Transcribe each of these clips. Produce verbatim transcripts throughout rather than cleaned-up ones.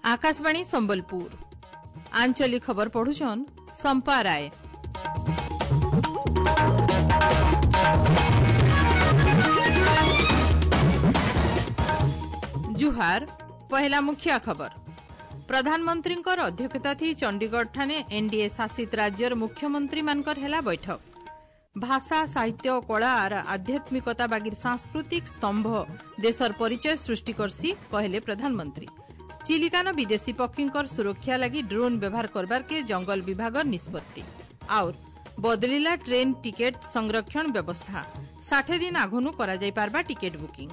ଆକାଶବାଣୀ ସମ୍ବଲପୁର ଆଞ୍ଚଳିକ ଖବର ପଢୁଛନ୍ ସମ୍ପା ରାୟ। ଜୁହାର। ପହିଲା ମୁଖ୍ୟ ଖବର, ପ୍ରଧାନମନ୍ତ୍ରୀଙ୍କର ଅଧ୍ୟକ୍ଷତା ଥି ଚଣ୍ଡିଗଡ଼ଠାରେ ଏନ୍ଡିଏ ଶାସିତ ରାଜ୍ୟର ମୁଖ୍ୟମନ୍ତ୍ରୀମାନଙ୍କର ହେଲା ବୈଠକ। ଭାଷା, ସାହିତ୍ୟ, କଳା ଆର ଆଧ୍ୟାତ୍ମିକତା ବାଗିର ସାଂସ୍କୃତିକ ସ୍ତମ୍ଭ ଦେଶର ପରିଚୟ ସୃଷ୍ଟି କରସି, କହିଲେ ପ୍ରଧାନମନ୍ତ୍ରୀ। ଚିଲିକାନ ବିଦେଶୀ ପକ୍ଷୀଙ୍କର ସୁରକ୍ଷା ଲାଗି ଡ୍ରୋନ୍ ବ୍ୟବହାର କରବାର୍କେ ଜଙ୍ଗଲ ବିଭାଗର ନିଷ୍ପତ୍ତି। ଆଉର ବଦଳିଲା ଟ୍ରେନ୍ ଟିକେଟ୍ ସଂରକ୍ଷଣ ବ୍ୟବସ୍ଥା, ଷାଠେ ଦିନ ଆଘନୁ କରାଯାଇପାରବା ଟିକେଟ୍ ବୁକିଂ।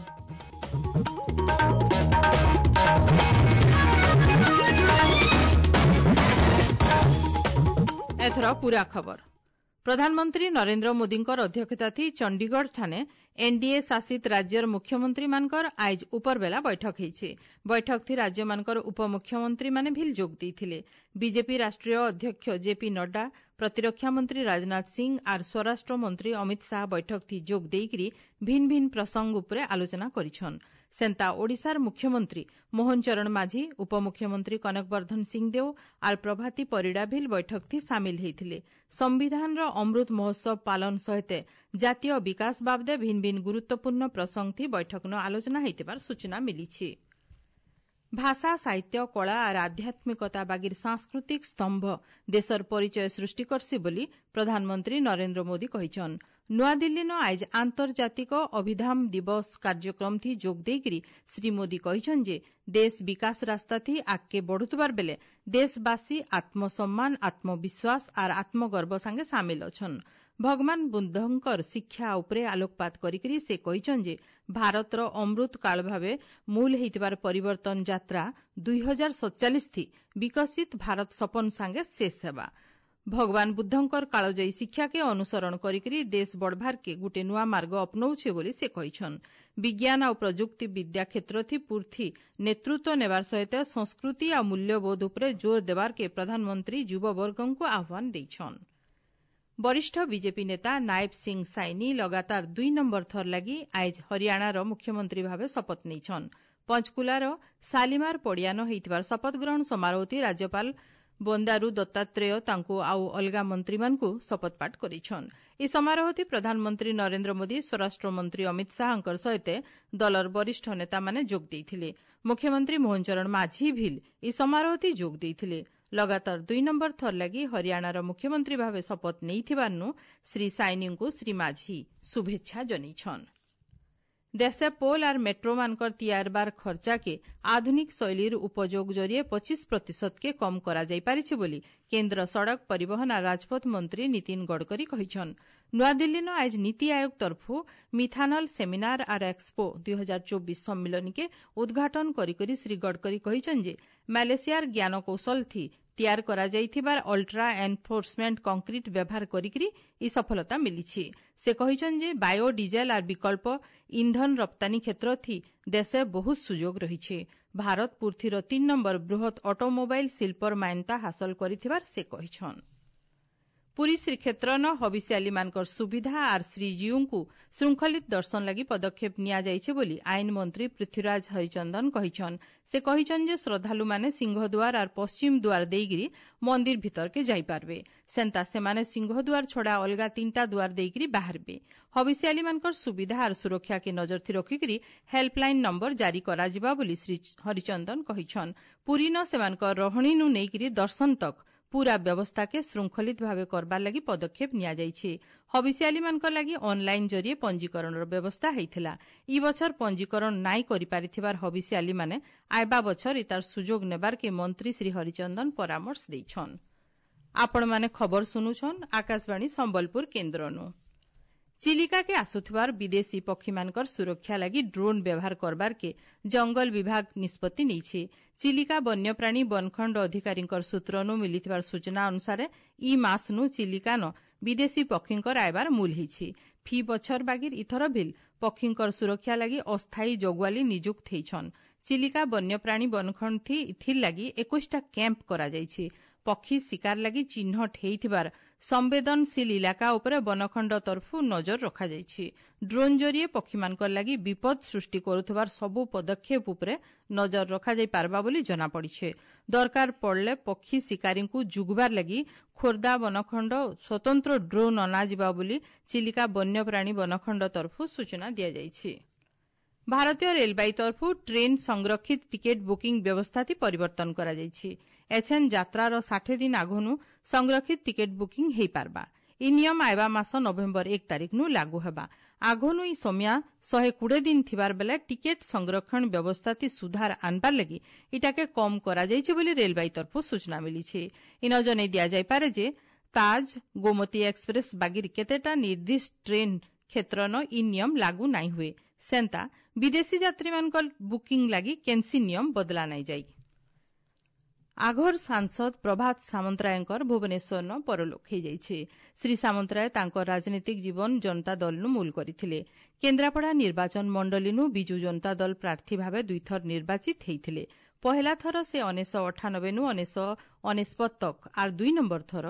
ଏଥର ପୁରା ଖବର। ପ୍ରଧାନମନ୍ତ୍ରୀ ନରେନ୍ଦ୍ର ମୋଦୀଙ୍କର ଅଧ୍ୟକ୍ଷତା ଥି ଚଣ୍ଡିଗଡ଼ଠାରେ ଏନ୍ଡିଏ ଶାସିତ ରାଜ୍ୟର ମୁଖ୍ୟମନ୍ତ୍ରୀମାନଙ୍କର ଆଇଜ ଉପରବେଲା ବୈଠକ ହୋଇଛି। ବୈଠକ ଥି ରାଜ୍ୟମାନଙ୍କର ଉପମୁଖ୍ୟମନ୍ତ୍ରୀମାନେ ଭିଲ୍ ଯୋଗ ଦେଇଥିଲେ। ବିଜେପି ରାଷ୍ଟ୍ରୀୟ ଅଧ୍ୟକ୍ଷ ଜେପି ନଡ୍ଡା, ପ୍ରତିରକ୍ଷା ମନ୍ତ୍ରୀ ରାଜନାଥ ସିଂ ଆର୍ ସ୍ୱରାଷ୍ଟ୍ର ମନ୍ତ୍ରୀ ଅମିତ ଶାହ ବୈଠକ ଥି ଯୋଗ ଦେଇକରି ଭିନ୍ ଭିନ୍ ପ୍ରସଙ୍ଗ ଉପରେ ଆଲୋଚନା କରିଛନ୍। ସେନ୍ତା ଓଡ଼ିଶାର ମୁଖ୍ୟମନ୍ତ୍ରୀ ମୋହନ ଚରଣ ମାଝୀ, ଉପମୁଖ୍ୟମନ୍ତ୍ରୀ କନକ ବର୍ଦ୍ଧନ ସିଂଦେଓ ଆର୍ ପ୍ରଭାତୀ ପରିଡ଼ା ଭିଲ୍ ବୈଠକ ଥି ସାମିଲ ହୋଇଥିଲେ। ସମ୍ବିଧାନର ଅମୃତ ମହୋତ୍ସବ ପାଳନ ସହିତ ଜାତୀୟ ବିକାଶ ବାବଦେ ଭିନ୍ ଭିନ୍ ଗୁରୁତ୍ୱପୂର୍ଣ୍ଣ ପ୍ରସଙ୍ଗ ଥି ବୈଠକନ ଆଲୋଚନା ହୋଇଥିବାର ସୂଚନା ମିଳିଛି। ଭାଷା, ସାହିତ୍ୟ, କଳା ଆର୍ ଆଧ୍ୟାତ୍ମିକତା ବାଗିର ସାଂସ୍କୃତିକ ସ୍ତମ୍ଭ ଦେଶର ପରିଚୟ ସୃଷ୍ଟି କରସି ବୋଲି ପ୍ରଧାନମନ୍ତ୍ରୀ ନରେନ୍ଦ୍ର ମୋଦୀ କହିଛନ୍। ନୂଆଦିଲ୍ଲୀନ ଆଇଜ ଆନ୍ତର୍ଜାତିକ ଅଭିଧାମ ଦିବସ କାର୍ଯ୍ୟକ୍ରମ ଥି ଯୋଗ ଦେଇକରି ଶ୍ରୀ ମୋଦୀ କହିଛନ୍ ଯେ ଦେଶ ବିକାଶ ରାସ୍ତା ଥି ଆଗକେ ବଢୁଥିବାର ବେଲେ ଦେଶବାସୀ ଆତ୍ମସମ୍ମାନ, ଆତ୍ମବିଶ୍ୱାସ ଆର୍ ଆତ୍ମଗର୍ବ ସାଙ୍ଗେ ସାମିଲ ଅଛନ୍। ଭଗବାନ ବୁଦ୍ଧଙ୍କର ଶିକ୍ଷା ଉପରେ ଆଲୋକପାତ କରିକରି ସେ କହିଛନ୍ ଯେ ଭାରତର ଅମୃତ କାଳ ଭାବେ ମୂଲ ହେଇଥିବାର ପରିବର୍ତ୍ତନ ଯାତ୍ରା ଦୁଇ ହଜାର ସତଚାଳିଶ ଥି ବିକଶିତ ଭାରତ ସପନ ସାଙ୍ଗେ ଶେଷ ହେବା। ଭଗବାନ ବୁଦ୍ଧଙ୍କର କାଳଜୟୀ ଶିକ୍ଷାକେ ଅନୁସରଣ କରିକରି ଦେଶ ବଢ଼ବାର୍କେ ଗୁଟେ ନୂଆ ମାର୍ଗ ଅପନଉଛେ ବୋଲି ସେ କହିଛନ୍। ବିଜ୍ଞାନ ଆଉ ପ୍ରଯୁକ୍ତି ବିଦ୍ୟା କ୍ଷେତ୍ର ଥି ପୂର୍ଥି ନେତୃତ୍ୱ ନେବାର ସହିତ ସଂସ୍କୃତି ଆଉ ମୂଲ୍ୟବୋଧ ଉପରେ ଜୋର ଦେବାର୍କେ ପ୍ରଧାନମନ୍ତ୍ରୀ ଯୁବବର୍ଗଙ୍କୁ ଆହ୍ୱାନ ଦେଇଛନ୍। ବରିଷ୍ଠ ବିଜେପି ନେତା ନାୟବ ସିଂ ସାଇନି ଲଗାତାର ଦୁଇ ନମ୍ବର ଥର ଲାଗି ଆଇଜ ହରିୟାଣାର ମୁଖ୍ୟମନ୍ତ୍ରୀ ଭାବେ ଶପଥ ନେଇଛନ୍। ପଞ୍ଚକୁଲାର ସାଲିମାର ପଡ଼ିଆନ ହୋଇଥିବାର ଶପଥ ଗ୍ରହଣ ସମାରୋହଟି ରାଜ୍ୟପାଳ ବନ୍ଦାରୁ ଦତ୍ତାତ୍ରେୟ ତାଙ୍କୁ ଆଉ ଅଲଗା ମନ୍ତ୍ରୀମାନଙ୍କୁ ଶପଥପାଠ କରିଛନ୍। ଏହି ସମାରୋହଟି ପ୍ରଧାନମନ୍ତ୍ରୀ ନରେନ୍ଦ୍ର ମୋଦୀ, ସ୍ୱରାଷ୍ଟ୍ରମନ୍ତ୍ରୀ ଅମିତ ଶାହାଙ୍କର ସହିତ ଦଳର ବରିଷ୍ଠ ନେତାମାନେ ଯୋଗ ଦେଇଥିଲେ। ମୁଖ୍ୟମନ୍ତ୍ରୀ ମୋହନ ଚରଣ ମାଝୀ ଭିଲ୍ ଏହି ସମାରୋହଟି ଯୋଗ ଦେଇଥିଲେ। ଲଗାତାର ଦୁଇ ନମ୍ବର ଥର ଲାଗି ହରିୟାଣାର ମୁଖ୍ୟମନ୍ତ୍ରୀ ଭାବେ ଶପଥ ନେଇଥିବାରୁ ଶ୍ରୀ ସାଇନିଙ୍କୁ ଶ୍ରୀ ମାଝୀ ଶୁଭେଚ୍ଛା ଜଣାଇଛନ୍। ଦେଶେ ପୋଲ ଆର୍ ମେଟ୍ରୋମାନଙ୍କର ତିଆରବାର ଖର୍ଚ୍ଚାକେ ଆଧୁନିକ ଶୈଳୀର ଉପଯୋଗ ଜରିଏ ପଚିଶ ପ୍ରତିଶତକେ କମ୍ କରାଯାଇପାରିଛି ବୋଲି କେନ୍ଦ୍ର ସଡ଼କ ପରିବହନ ଆର୍ ରାଜପଥ ମନ୍ତ୍ରୀ Nitin Gadkari କହିଛନ୍। ନୂଆଦିଲ୍ଲୀନ eyes NITI Aayog ତରଫୁ methanol seminar ଆର୍ ଏକ୍ସପୋ ଦୁଇ ହଜାର ଚବିଶ ସମ୍ମିଳନୀକେ ଉଦ୍ଘାଟନ କରିକରି ଶ୍ରୀ ଗଡ଼କରୀ କହିଛନ୍ ଯେ ମାଲେସିଆର ଜ୍ଞାନକୌଶଳ ଥି ତିଆର କରାଯାଇଥିବାର ଅଲ୍ଟ୍ରା ଏନଫୋର୍ସମେଣ୍ଟ କଂକ୍ରିଟ ବ୍ୟବହାର କରିକରି ଏହି ସଫଳତା ମିଳିଛି। ସେ କହିଛନ୍ ଯେ ବାୟୋ ଡିଜେଲ ଆର୍ ବିକଳ୍ପ ଇନ୍ଧନ ରପ୍ତାନୀ କ୍ଷେତ୍ର ଥି ଦେଶେ ବହୁତ ସୁଯୋଗ ରହିଛି। ଭାରତ ପୃଥିବୀର ତିନି ନମ୍ବର ବୃହତ୍ ଅଟୋମୋବାଇଲ ଶିଳ୍ପର ମାନ୍ୟତା ହାସଲ କରିଥିବାର ସେ କହିଛନ୍। ପୁରୀ ଶ୍ରୀକ୍ଷେତ୍ରନ ହବିଷ୍ୟାଲୀମାନଙ୍କର ସୁବିଧା ଆର୍ ଶ୍ରୀଜୀଉଙ୍କୁ ଶୃଙ୍ଖଳିତ ଦର୍ଶନ ଲାଗି ପଦକ୍ଷେପ ନିଆଯାଇଛି ବୋଲି ଆଇନ ମନ୍ତ୍ରୀ ପୃଥ୍ୱୀରାଜ ହରିଚନ୍ଦନ କହିଛନ୍। ସେ କହିଛନ୍ ଯେ ଶ୍ରଦ୍ଧାଳୁମାନେ ସିଂହଦ୍ୱାର ଆର୍ ପଶ୍ଚିମ ଦ୍ୱାର ଦେଇକରି ମନ୍ଦିର ଭିତରକେ ଯାଇପାରବେ। ସେନ୍ତା ସେମାନେ ସିଂହଦ୍ୱାର ଛଡ଼ା ଅଲଗା ତିନିଟା ଦ୍ୱାର ଦେଇକରି ବାହାରବେ। ହବିଷ୍ୟାଲୀମାନଙ୍କର ସୁବିଧା ଆର୍ ସୁରକ୍ଷାକେ ନଜର ଥି ରଖିକରି ହେଲ୍ପଲାଇନ୍ ନମ୍ବର ଜାରି କରାଯିବା ବୋଲି ଶ୍ରୀ ହରିଚନ୍ଦନ କହିଛନ୍। ପୁରୀନ ସେମାନଙ୍କର ରହଣୀନୁ ନେଇକରି ଦର୍ଶନ ତକ୍ ପୁରା ବ୍ୟବସ୍ଥାକେ ଶୃଙ୍ଖଳିତ ଭାବେ କରବାର ଲାଗି ପଦକ୍ଷେପ ନିଆଯାଇଛି। ହବିଷ୍ୟାଲୀମାନଙ୍କ ଲାଗି ଅନ୍ଲାଇନ୍ ଜରିଏ ପଞ୍ଜୀକରଣର ବ୍ୟବସ୍ଥା ହୋଇଥିଲା। ଇ ବଛର ପଞ୍ଜୀକରଣ ନାଇଁ କରିପାରିଥିବାର ହବିଷ୍ୟାଲୀମାନେ ଆଇବା ବଛର ଇତାର ସୁଯୋଗ ନେବାର୍କେ ମନ୍ତ୍ରୀ ଶ୍ରୀ ହରିଚନ୍ଦନ ପରାମର୍ଶ ଦେଇଛନ୍। ଆପଣମାନେ ଖବର ଶୁଣୁଛନ୍ ଆକାଶବାଣୀ ସମ୍ବଲପୁର କେନ୍ଦ୍ରନୁ। ଚିଲିକାକେ ଆସୁଥିବାର ବିଦେଶୀ ପକ୍ଷୀମାନଙ୍କର ସୁରକ୍ଷା ଲାଗି ଡ୍ରୋନ୍ ବ୍ୟବହାର କରବାର୍କେ ଜଙ୍ଗଲ ବିଭାଗ ନିଷ୍ପତ୍ତି ନେଇଛି। ଚିଲିକା ବନ୍ୟପ୍ରାଣୀ ବନଖଣ୍ଡ ଅଧିକାରୀଙ୍କର ସୂତ୍ରନୁ ମିଳିଥିବାର ସୂଚନା ଅନୁସାରେ ଇ ମାସନୁ ଚିଲିକାନ ବିଦେଶୀ ପକ୍ଷୀଙ୍କର ଆଇବାର ମୂଲ ହେଇଛି। ଫି ବଛର ବାଗିର ଇଥର ଭିଲ୍ ପକ୍ଷୀଙ୍କର ସୁରକ୍ଷା ଲାଗି ଅସ୍ଥାୟୀ ଜଗୁଆଲି ନିଯୁକ୍ତ ହେଇଛନ୍। ଚିଲିକା ବନ୍ୟପ୍ରାଣୀ ବନଖଣ୍ଡ ଥି ଇଥିର୍ ଲାଗି ଏକୋଇଶଟା କ୍ୟାମ୍ପ କରାଯାଇଛି। ପକ୍ଷୀ ଶିକାର ଲାଗି ଚିହ୍ନଟ ହେଇଥିବାର ସମ୍ବେଦନଶୀଳ ଇଲାକା ଉପରେ ବନଖଣ୍ଡ ତରଫୁ ନଜର ରଖାଯାଇଛି। ଡ୍ରୋନ୍ ଜରିଏ ପକ୍ଷୀମାନଙ୍କର ଲାଗି ବିପଦ ସୃଷ୍ଟି କରୁଥିବାର ସବୁ ପଦକ୍ଷେପ ଉପରେ ନଜର ରଖାଯାଇ ପାରବା ବୋଲି ଜଣାପଡ଼ିଛି। ଦରକାର ପଡ଼ିଲେ ପକ୍ଷୀ ଶିକାରୀଙ୍କୁ ଯୁଗବାର ଲାଗି ଖୋର୍ଦ୍ଧା ବନଖଣ୍ଡ ସ୍ୱତନ୍ତ୍ର ଡ୍ରୋନ୍ ଅଣାଯିବା ବୋଲି ଚିଲିକା ବନ୍ୟପ୍ରାଣୀ ବନଖଣ୍ଡ ତରଫୁ ସୂଚନା ଦିଆଯାଇଛି। ଭାରତୀୟ ରେଳବାଇ ତରଫୁ ଟ୍ରେନ୍ ସଂରକ୍ଷିତ ଟିକେଟ୍ ବୁକିଂ ବ୍ୟବସ୍ଥାଥି ପରିବର୍ତ୍ତନ କରାଯାଇଛି। ଏଛେନ୍ ଯାତ୍ରାର ଷାଠିଏ ଦିନ ଆଘନୁ ସଂରକ୍ଷିତ ଟିକେଟ୍ ବୁକିଂ ହେଇପାରବା। ଇ ନିୟମ ଆଇବା ମାସ ନଭେମ୍ବର ଏକ ତାରିଖନୁ ଲାଗୁ ହେବା। ଆଘନୁ ଇ ସମିଆ ଶହେ କୁଡ଼େ ଦିନ ଥିବାର ବେଲେ ଟିକେଟ୍ ସଂରକ୍ଷଣ ବ୍ୟବସ୍ଥାଥି ସୁଧାର ଆନବାର ଲାଗି ଇଟାକେ କମ୍ କରାଯାଇଛି ବୋଲି ରେଳବାଇ ତରଫୁ ସୂଚନା ମିଳିଛି। ଇନ ଜଣେଇ ଦିଆଯାଇପାରେ ଯେ ତାଜ, ଗୋମତୀ ଏକ୍ସପ୍ରେସ୍ ବାଗିର କେତେଟା ନିର୍ଦ୍ଦିଷ୍ଟ ଟ୍ରେନ୍ କ୍ଷେତ୍ରନ ଇ ନିୟମ ଲାଗୁ ନାଇଁ ହୁଏ। ସେନ୍ତା ବିଦେଶୀ ଯାତ୍ରୀମାନଙ୍କର ବୁକିଂ ଲାଗି କେନ୍ସି ନିୟମ ବଦଲା ନାଇଁ ଯାଇ। ଆଘର ସାଂସଦ ପ୍ରଭାତ ସାମନ୍ତରାୟଙ୍କର ଭୁବନେଶ୍ୱରନ ପରଲୋକ ହୋଇଯାଇଛି। ଶ୍ରୀ ସାମନ୍ତରାୟ ତାଙ୍କ ରାଜନୈତିକ ଜୀବନ ଜନତା ଦଳନୁ ମୂଲ କରିଥିଲେ। କେନ୍ଦ୍ରାପଡ଼ା ନିର୍ବାଚନ ମଣ୍ଡଳୀନୁ ବିଜୁ ଜନତା ଦଳ ପ୍ରାର୍ଥୀ ଭାବେ ଦୁଇଥର ନିର୍ବାଚିତ ହେଇଥିଲେ। ପହେଲା ଥର ସେ ଉଣେଇଶହ ଅଠାନବେନୁ ଉଣେଇଶହ ଅନେଶପତ ତକ୍ ଆର୍ ଦୁଇ ନମ୍ବର ଥର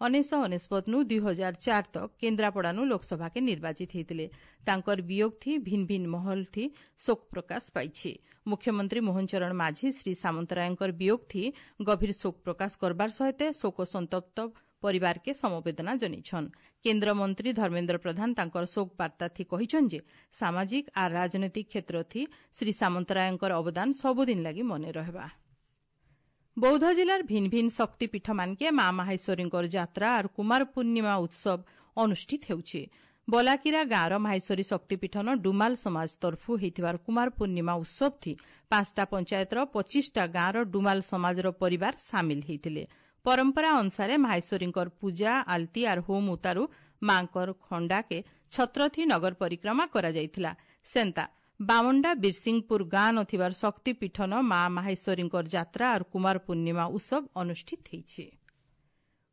ଉଣେଇଶହ ଅନେଶପତନୁ ଦୁଇ ହଜାର ଚାର ତକ୍ କେନ୍ଦ୍ରାପଡ଼ାନୁ ଲୋକସଭାକେ ନିର୍ବାଚିତ ହେଇଥିଲେ। ତାଙ୍କର ବିୟୋଗ ଥି ଭିନ୍ ଭିନ୍ ମହଲ ଥି ଶୋକ ପ୍ରକାଶ ପାଇଛି। ମୁଖ୍ୟମନ୍ତ୍ରୀ ମୋହନ ଚରଣ ମାଝୀ ଶ୍ରୀ ସାମନ୍ତରାୟଙ୍କର ବିୟୋଗ ଥି ଗଭୀର ଶୋକ ପ୍ରକାଶ କରବାର ସହିତ ଶୋକ ସନ୍ତପ୍ତ ପରିବାରକେ ସମବେଦନା ଜଣାଇଛନ୍। କେନ୍ଦ୍ରମନ୍ତ୍ରୀ ଧର୍ମେନ୍ଦ୍ର ପ୍ରଧାନ ତାଙ୍କର ଶୋକ ବାର୍ତ୍ତା ଥି କହିଛନ୍ ଯେ ସାମାଜିକ ଆର୍ ରାଜନୈତିକ କ୍ଷେତ୍ର ଥି ଶ୍ରୀ ସାମନ୍ତରାୟଙ୍କର ଅବଦାନ ସବୁଦିନ ଲାଗି ମନେ ରହିବା। ବୌଦ୍ଧ ଜିଲ୍ଲାର ଭିନ୍ ଭିନ୍ ଶକ୍ତିପୀଠମାନକେ ମା ମାହେଶ୍ୱରୀଙ୍କର ଯାତ୍ରା ଆର୍ କୁମାର ପୂର୍ଣ୍ଣିମା ଉତ୍ସବ ଅନୁଷ୍ଠିତ ହେଉଛି। ବଲାକିରା ଗାଁର ମାହେଶ୍ୱରୀ ଶକ୍ତିପୀଠନ ଡୁମାଲ ସମାଜ ତରଫୁ ହେଇଥିବାର କୁମାର ପୂର୍ଣ୍ଣିମା ଉତ୍ସବ ଥି ପାଞ୍ଚଟା ପଞ୍ଚାୟତର ପଚିଶଟା ଗାଁର ଡୁମାଲ ସମାଜର ପରିବାର ସାମିଲ ହେଇଥିଲେ। ପରମ୍ପରା ଅନୁସାରେ ମାହେଶ୍ୱରୀଙ୍କର ପୂଜା ଆଳତି ଆର୍ ହୋମ ଉତାରୁ ମାଙ୍କର ଖଣ୍ଡାକେ ଛତ୍ରଥି ନଗର ପରିକ୍ରମା କରାଯାଇଥିଲା। ସେନ୍ତା ବାମଣ୍ଡା ବୀରସିଂହପୁର ଗାଁ ନଥିବାର ଶକ୍ତିପୀଠନ ମା ମାହେଶ୍ୱରୀଙ୍କର ଯାତ୍ରା ଆର୍ କୁମାର ପୂର୍ଣ୍ଣିମା ଉତ୍ସବ ଅନୁଷ୍ଠିତ ହେଇଛି।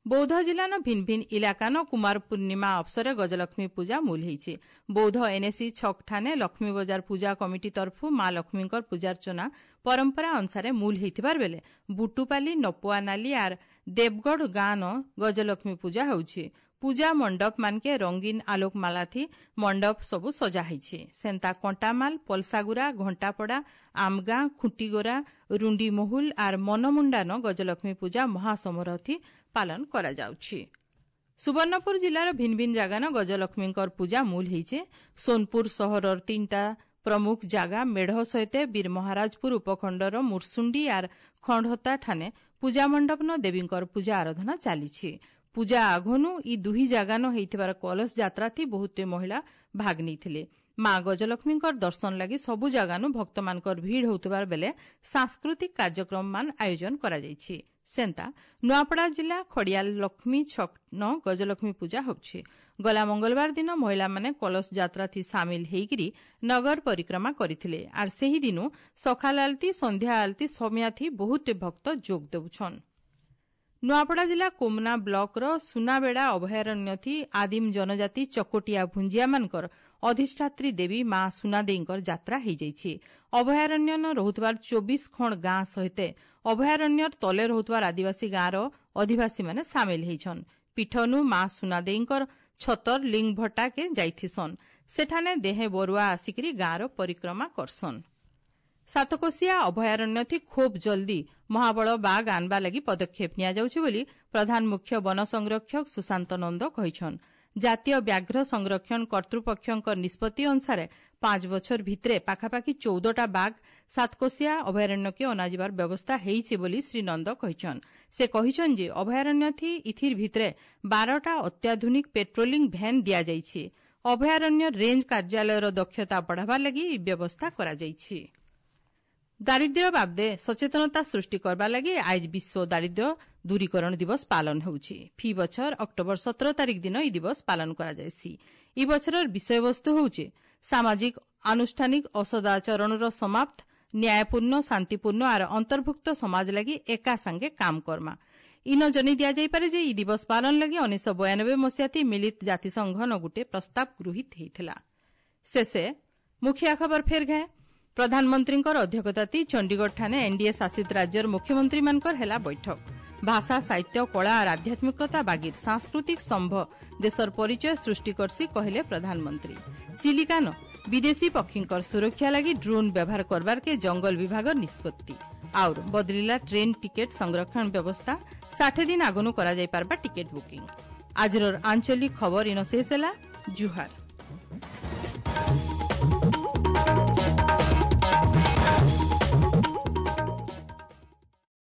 ବୌଦ୍ଧ ଜିଲ୍ଲାନ ଭିନ୍ ଭିନ୍ ଇଲାକାନ କୁମାର ପୂର୍ଣ୍ଣିମା ଅବସରେ ଗଜଲକ୍ଷ୍ମୀ ପୂଜା ମୂଲ ହେଇଛି। ବୌଦ୍ଧ ଏନ୍ଏସି ଛକଠାନେ ଲକ୍ଷ୍ମୀ ବଜାର ପୂଜା କମିଟି ତରଫୁ ମା ଲକ୍ଷ୍ମୀଙ୍କର ପୂଜାର୍ଚ୍ଚନା ପରମ୍ପରା ଅନୁସାରେ ମୂଲ ହେଇଥିବାର ବେଲେ ବୁଟୁପାଲି, ନପୁଆନାଲି ଆର୍ ଦେବଗଡ଼ ଗାଁନ ଗଜଲକ୍ଷ୍ମୀ ପୂଜା ହେଉଛି। ପୂଜା ମଣ୍ଡପ ମାନକେ ରଙ୍ଗୀନ ଆଲୋକମାଳାଥି ମଣ୍ଡପ ସବୁ ସଜା ହେଇଛି। ସେନ୍ତା କଣ୍ଟାମାଲ, ପଲସାଗୁରା, ଘଣ୍ଟାପଡ଼ା, ଆମଗାଁ, ଖୁଣ୍ଟିଗୋରା, ରୁଣ୍ଡି ମହୁଲ ଆର୍ ମନମୁଣ୍ଡାନ ଗଜଲକ୍ଷ୍ମୀ ପୂଜା ମହାସମାରୋହଥି ପାଳନ କରାଯାଉଛି। ସୁବର୍ଣ୍ଣପୁର ଜିଲ୍ଲାର ଭିନ୍ ଭିନ୍ ଜାଗାନ ଗଜଲକ୍ଷ୍ମୀଙ୍କର ପୂଜା ମୂଲ ହେଇଛେ। ସୋନପୁର ସହରର ତିନିଟା ପ୍ରମୁଖ ଜାଗା ମେଢ଼ ସହିତ ବୀରମହାରାଜପୁର ଉପଖଣ୍ଡର ମୁର୍ସୁଣ୍ଡି ଆର୍ ଖଣ୍ଡହତା ଠାନେ ପୂଜା ମଣ୍ଡପନ ଦେବୀଙ୍କର ପୂଜା ଆରାଧନା ଚାଲିଛି। ପୂଜା ଆଘନୁ ଇ ଦୁହି ଜାଗାନ ହେଇଥିବାର କଳସ ଯାତ୍ରାଥି ବହୁତେ ମହିଳା ଭାଗ ନେଇଥିଲେ। ମା ଗଜଲକ୍ଷ୍ମୀଙ୍କର ଦର୍ଶନ ଲାଗି ସବୁ ଜାଗାନୁ ଭକ୍ତମାନଙ୍କର ଭିଡ଼ ହେଉଥିବାର ବେଲେ ସାଂସ୍କୃତିକ କାର୍ଯ୍ୟକ୍ରମମାନ ଆୟୋଜନ କରାଯାଇଛି। ସେନ୍ତା ନୂଆପଡ଼ା ଜିଲ୍ଲା ଖଡ଼ିଆଲ ଲକ୍ଷ୍ମୀ ଛକନ ଗଜଲକ୍ଷ୍ମୀ ପୂଜା ହେଉଛି। ଗଲା ମଙ୍ଗଳବାର ଦିନ ମହିଳାମାନେ କଳସ ଯାତ୍ରାଥି ସାମିଲ ହେଇକିରି ନଗର ପରିକ୍ରମା କରିଥିଲେ। ଆର୍ ସେହି ଦିନୁ ସକାଳ ଆଳତି, ସନ୍ଧ୍ୟା ଆଳତି ସମିଆଥି ବହୁତେ ଭକ୍ତ ଯୋଗ ଦେଉଛନ୍। ନୂଆପଡ଼ା ଜିଲ୍ଲା କୋମନା ବ୍ଲକର ସୁନାବେଡ଼ା ଅଭୟାରଣ୍ୟଥି ଆଦିମ ଜନଜାତି ଚକୋଟିଆ ଭୁଞ୍ଜିଆମାନଙ୍କର ଅଧିଷ୍ଠାତ୍ରୀ ଦେବୀ ମା ସୁନାଦେଇଙ୍କର ଯାତ୍ରା ହେଇଯାଇଛି। ଅଭୟାରଣ୍ୟନ ରହୁଥିବାର ଚବିଶ ଖଣ୍ଡ ଗାଁ ସହିତ ଅଭୟାରଣ୍ୟର ତଲେ ରହୁଥିବାର ଆଦିବାସୀ ଗାଁର ଅଧିବାସୀମାନେ ସାମିଲ ହେଇଛନ୍। ପୀଠନୁ ମା ସୁନାଦେଇଙ୍କର ଛତର ଲିଙ୍ଗଭଟ୍ଟାକେ ଯାଇଥିସନ୍। ସେଠାନେ ଦେହେ ବରୁଆ ଆସିକିରି ଗାଁର ପରିକ୍ରମା କରସନ୍। ସାତକୋଶିଆ ଅଭୟାରଣ୍ୟଥି ଖୁବ୍ ଜଲ୍ଦି ମହାବଳ ବାଘ ଆଣବା ଲାଗି ପଦକ୍ଷେପ ନିଆଯାଉଛି ବୋଲି ପ୍ରଧାନ ମୁଖ୍ୟ ବନ ସଂରକ୍ଷକ ସୁଶାନ୍ତ ନନ୍ଦ କହିଛନ୍। ଜାତୀୟ ବ୍ୟାଘ୍ର ସଂରକ୍ଷଣ କର୍ତ୍ତୃପକ୍ଷଙ୍କ ନିଷ୍ପତ୍ତି ଅନୁସାରେ ପାଞ୍ଚ ବଛର ଭିତରେ ପାଖାପାଖି ଚଉଦଟା ବାଘ ସାତକୋଶିଆ ଅଭୟାରଣ୍ୟକେ ଅଣାଯିବାର ବ୍ୟବସ୍ଥା ହେଇଛି ବୋଲି ଶ୍ରୀ ନନ୍ଦ କହିଛନ୍। ସେ କହିଛନ୍ ଯେ ଅଭୟାରଣ୍ୟଥି ଇଥିର ଭିତରେ ବାରଟା ଅତ୍ୟାଧୁନିକ ପେଟ୍ରୋଲିଂ ଭ୍ୟାନ୍ ଦିଆଯାଇଛି। ଅଭୟାରଣ୍ୟ ରେଞ୍ଜ କାର୍ଯ୍ୟାଳୟର ଦକ୍ଷତା ବଢ଼ାବାର ଲାଗି ଏହି ବ୍ୟବସ୍ଥା କରାଯାଇଛି। ଦାରିଦ୍ର୍ୟ ବାବଦେ ସଚେତନତା ସୃଷ୍ଟି କରବା ଲାଗି ଆଇଜ ବିଶ୍ୱ ଦାରିଦ୍ର୍ୟ ଦୂରୀକରଣ ଦିବସ ପାଳନ ହେଉଛି। ଫି ବଛର ଅକ୍ଟୋବର ସତର ତାରିଖ ଦିନ ଏହି ଦିବସ ପାଳନ କରାଯାଏସି। ଇ ବଛରର ବିଷୟବସ୍ତୁ ହେଉଛି ସାମାଜିକ ଆନୁଷ୍ଠାନିକ ଅସଦାଚରଣର ସମାପ୍ତ, ନ୍ୟାୟପୂର୍ଣ୍ଣ, ଶାନ୍ତିପୂର୍ଣ୍ଣ ଆର ଅନ୍ତର୍ଭୁକ୍ତ ସମାଜ ଲାଗି ଏକା ସାଙ୍ଗେ କାମ କର୍ମା। ଇନ ଜନେଇ ଦିଆଯାଇପାରେ ଯେ ଇ ଦିବସ ପାଳନ ଲାଗି ଉଣେଇଶହ ବୟାନବେ ମସିହାତି ମିଳିତ ଜାତିସଂଘ ନ ଗୁଟେ ପ୍ରସ୍ତାବ ଗୃହୀତ ହେଇଥିଲା। ଶେଷେ ମୁଖିଆ ଖବର ଫେର ଘାଏ। ପ୍ରଧାନମନ୍ତ୍ରୀଙ୍କର ଅଧ୍ୟକ୍ଷତାତି ଚଣ୍ଡିଗଡ଼ ଠାନେ ଏନ୍ଡିଏ ଶାସିତ ରାଜ୍ୟର ମୁଖ୍ୟମନ୍ତ୍ରୀମାନଙ୍କର ହେଲା ବୈଠକ। ଭାଷା, ସାହିତ୍ୟ, କଳା ଆର୍ ଆଧ୍ୟାତ୍ମିକତା ବାଗିର ସାଂସ୍କୃତିକ ସ୍ତମ୍ଭ ଦେଶର ପରିଚୟ ସୃଷ୍ଟି କରସି, କହିଲେ ପ୍ରଧାନମନ୍ତ୍ରୀ। ଚିଲିକାନ ବିଦେଶୀ ପକ୍ଷୀଙ୍କର ସୁରକ୍ଷା ଲାଗି ଡ୍ରୋନ୍ ବ୍ୟବହାର କରବାରକେ ଜଙ୍ଗଲ ବିଭାଗର ନିଷ୍ପତ୍ତି। ଆଉର ବଦଳିଲା ଟ୍ରେନ୍ ଟିକେଟ୍ ସଂରକ୍ଷଣ ବ୍ୟବସ୍ଥା, ଷାଠେ ଦିନ ଆଗନୁ କରାଯାଇପାରବା ଟିକେଟ୍ ବୁକିଂ। ଆଜିର ଆଞ୍ଚଳିକ ଖବର ଇନ ଶେଷ ହେଲା। ଜୁହାର।